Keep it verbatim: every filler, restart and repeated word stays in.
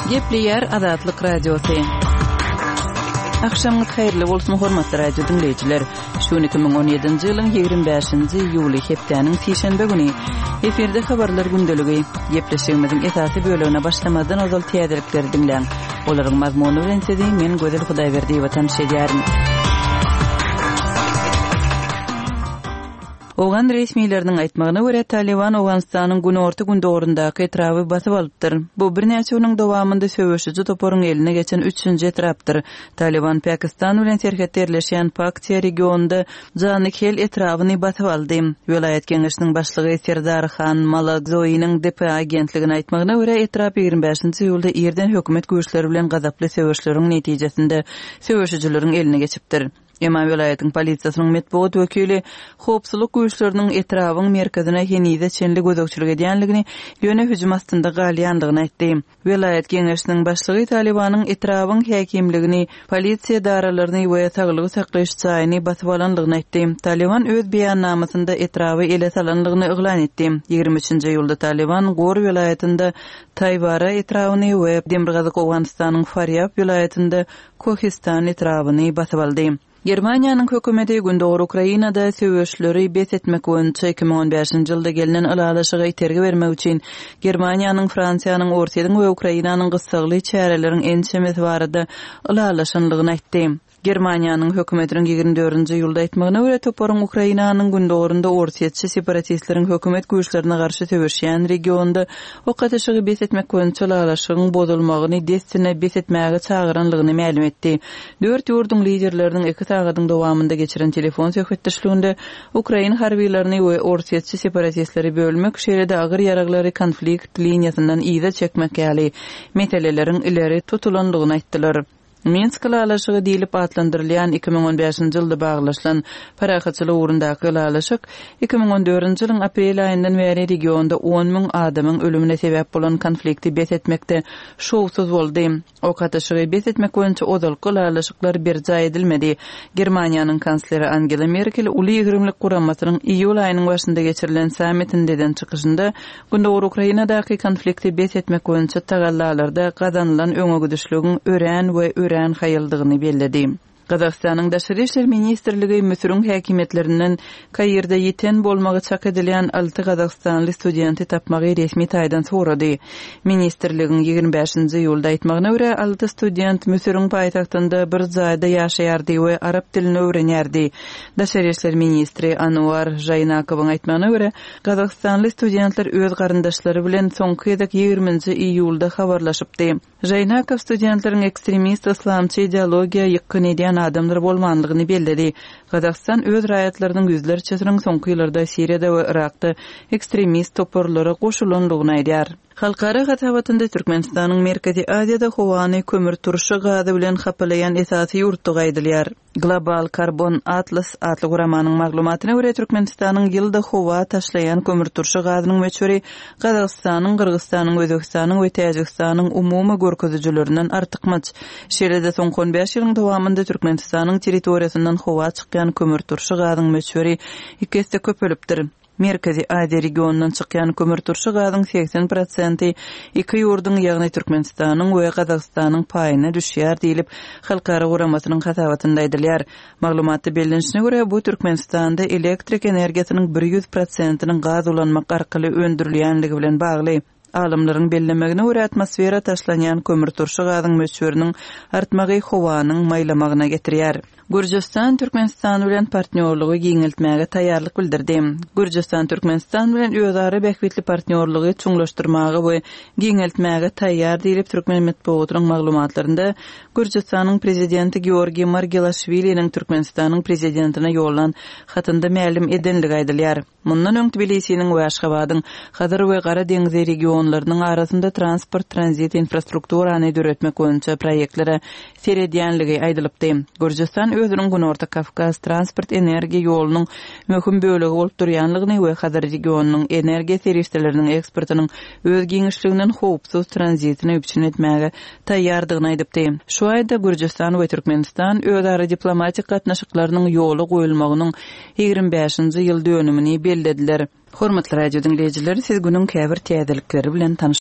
Gepleýär Azatlyk Radiosy. Agşamyňyz haýyrly bolsun, hormatly radio diňleýjiler. Şu gün iki müň on ýedinji ýylyň ýigrimi bäşinji iýuly, hepdäniň sişenbe güni. Efirde habarlar gündeligi. Gepleşigimiziň esasy bölegine başlamazdan ozal täzelikleri diňläň. Olaryň mazmuny bilen sizi men Gözel Hudaýberdiýewa tanyş edýärin. Owgan resmileriniň aýtmagyna görä, Talyban Owganystanyň günorta-gündogaryndaky etraby basyp alypdyr. Bu birnäçe günüň dowamynda söweşiji toparyň eline geçen üçünji etrapdyr. Talyban Pakistan bilen serhetde ýerleşýän Paktiýa regionynda Janykhel etrabyny basyp aldy. Welaýat geňeşiniň başlygy Serdar Han Malakzoiniň D P A agentligine aýtmagyna görä, etrap ýigrimi bäşinji iýulda irden hökümet güýçleri bilen gazaply söweşleriň netijesinde söweşijileriň eline geçipdir. Emma welaýatyň polisiýasynyň metbugat wekili howpsuzlyk güýçleriniň etrabyň merkezine henize çenli gözegçilik edýänligini, ýöne hüjüm astynda galýandygyny aýtdy. Welaýat geňeşiniň başlygy Talibanyň etrabyň häkimligini, polisiýa edaralaryny we saglygy saklaýyş jaýyny basyp alandygyny aýtdy. Taliban öz beýannamasynda etraby ele salandygyny yglan etdi. Ýigrimi üçünji iýulda Taliban Gor welaýatynda Taýbara etrabyny we Demirgazyk Owganystanyň Farýab welaýatynda Kohistan etrabyny basyp aldy. Germaniýanyň hökümeti Gündogar Ukrainada söweşleri bes etmek boýunça iki müň on bäşinji ýylda gelnen ylalaşyga itergi bermek üçin Germaniýanyň, Fransiýanyň, Orsýetiň we Ukrainanyň gyssagly çäreleriň ençemesi barada ylalaşanlygyny aýtdy. Germaniýanyň hökümetiniň ýigrimi dördünji iýulda aýtmagyna görä, toparyň Ukrainanyň gündogarynda orsýetçi separatistleriň hökümet güýçlerine garşy söweşýän regionda ok atyşygy bes etmek boýunça ylalaşygyň bozulmagyny dessine bes etmäge çagyranlygyny mälim etdi. Dört ýurduň liderleriniň iki sagadyň dowamynda geçiren telefon söhbetdeşliginde Ukrain harbilerini we orsýetçi separatistleri bölmek, şeýle-de agyr ýaraglary konflikt liniýasyndan yza çekmek ýaly meseleleriň ileri tutulanlygyny aýtdylar. Minsk ylalaşygy diýlip atlandyrylýan iki müň on bäşinji ýylda baglaşylan parahatçylyk ugrundaky ylalaşyk iki müň on dördünji ýylyň aprel aýyndan bäri regionda on müň adamyň ölümine sebäp bolan konflikti bes etmekde şowsuz boldy. Ok atyşygy bes etmek boýunça ozalky ylalaşyklar berjaý edilmedi. Germaniýanyň kansleri Angela Merkel uly ýigrimlik guramasynyň iýul aýynyň başynda geçirilen sammitinde eden çykyşynda Gündogar Ukrainadaky konflikti bes etmek boýunça tagallalarda gazanylan öňegidişligiň örän we örän haýaldygyny belledi. Gazagystanyň Daşary İşler Ministrligi Müsüriň häkimiýetlerinden Kairde ýiten bolmagy çak edilýän alty gazagystanly studenti tapmagy resmi taýdan sorady. Ministrligiň ýigrimi bäşinji iýulda aýtmagyna görä, alty student Müsüriň paýtagtynda bir jaýda ýaşaýardy we arap dilini öwrenýärdi. Daşary İşler Ministri Anuar Žaýnakowyň aýtmagyna görä, gazagystanly studentler öz garyndaşlary bilen soňky gezek ýigriminji iýulda habarlaşypdy. Žaýnakow studentleriň ekstremist islamçy ideologiýa ýykgyn edýän adamlar bolmanlygyny belledi. Gazagystan öz raýatlarynyň ýüzlerçesiniň soňky ýyllarda Siriýada we Irakda ekstremist toparlara goşulanlygyny aýdýar. Halkara hasabatynda Türkmenistanyň Merkezi Aziýada howany kömür turşy gazy bilen hapalaýan esasy ýurtdygy aýdylýar. Global Carbon Atlas atly guramanyň maglumatyna görä Türkmenistanyň ýylda howa taşlaýan kömür turşy gazynyň möçberi Gazagystanyň, Gyrgyzystanyň, Özbekistanyň we Täjigistanyň umumy görkezijilerinden artykmaç. Şeýle-de soňky on bäş ýylyň dowamynda Türkmenistanyň territoriýasyndan howa çykýan kömür turşy gazyň möçberi iki esse köpelipdir. Merkezi Aziýa regionundan çykýan kömür turşy gazyň seksen prosenti iki ýurduň, ýagny Türkmenistanyň we Gazagystanyň paýyna düşýär diýlip, Halkara guramasynyň hasabatynda aýdylýar. Maglumatda bellenişine görä, bu Türkmenistanda elektrik energiýasynyň bir ýüz prosentiniň gaz ulanmak arkaly öndürilýänligi bilen bagly. Alymlaryň bellemegine görä, atmosfera taşlanýan kömür turşy gazyň möçberiniň artmagy howanyň maýlamagyna getirýär. Gürjüstan Türkmenistan bilen partnýorlygy giňeltmäge taýýarlyk bildirdi. Gürjüstan Türkmenistan bilen özara bähbitli partnýorlygy çuňlaşdyrmaga we giňeltmäge taýýar diýlip Türkmen metbugatynyň maglumatlarynda Gürjüstanyň prezidenti Georgiý Margelaşwiliniň Türkmenistanyň prezidentine ýollan hatynda mälim edenligi aýdylýar. Mundan öň Tbilisiniň we Aşgabadyň Hazar we Gara deňzi regionlarynyň arasynda transport tranzit infrastrukturany döretmek boýunça proýektlere seredýänligi aýdylypdy. Gürjüstan özüniň Günorta Kawkaz transport energiýa ýolunyň möhüm bölegi bolup durýanlygyny we Hazar regionynyň energiýa serişdeleriniň eksportynyň öz giňişliginden howpsuz tranzitini üpjün etmäge taýýardygyny aýdypdy. Şu aýda Gürjüstan we Türkmenistan özara diplomatik gatnaşyklarynyň ýola goýulmagynyň ýigrimi bäşinji ýyl dönümini bellediler. Hormatly radio diňleýjiler, siz günüň käbir täzelikleri bilen tanyş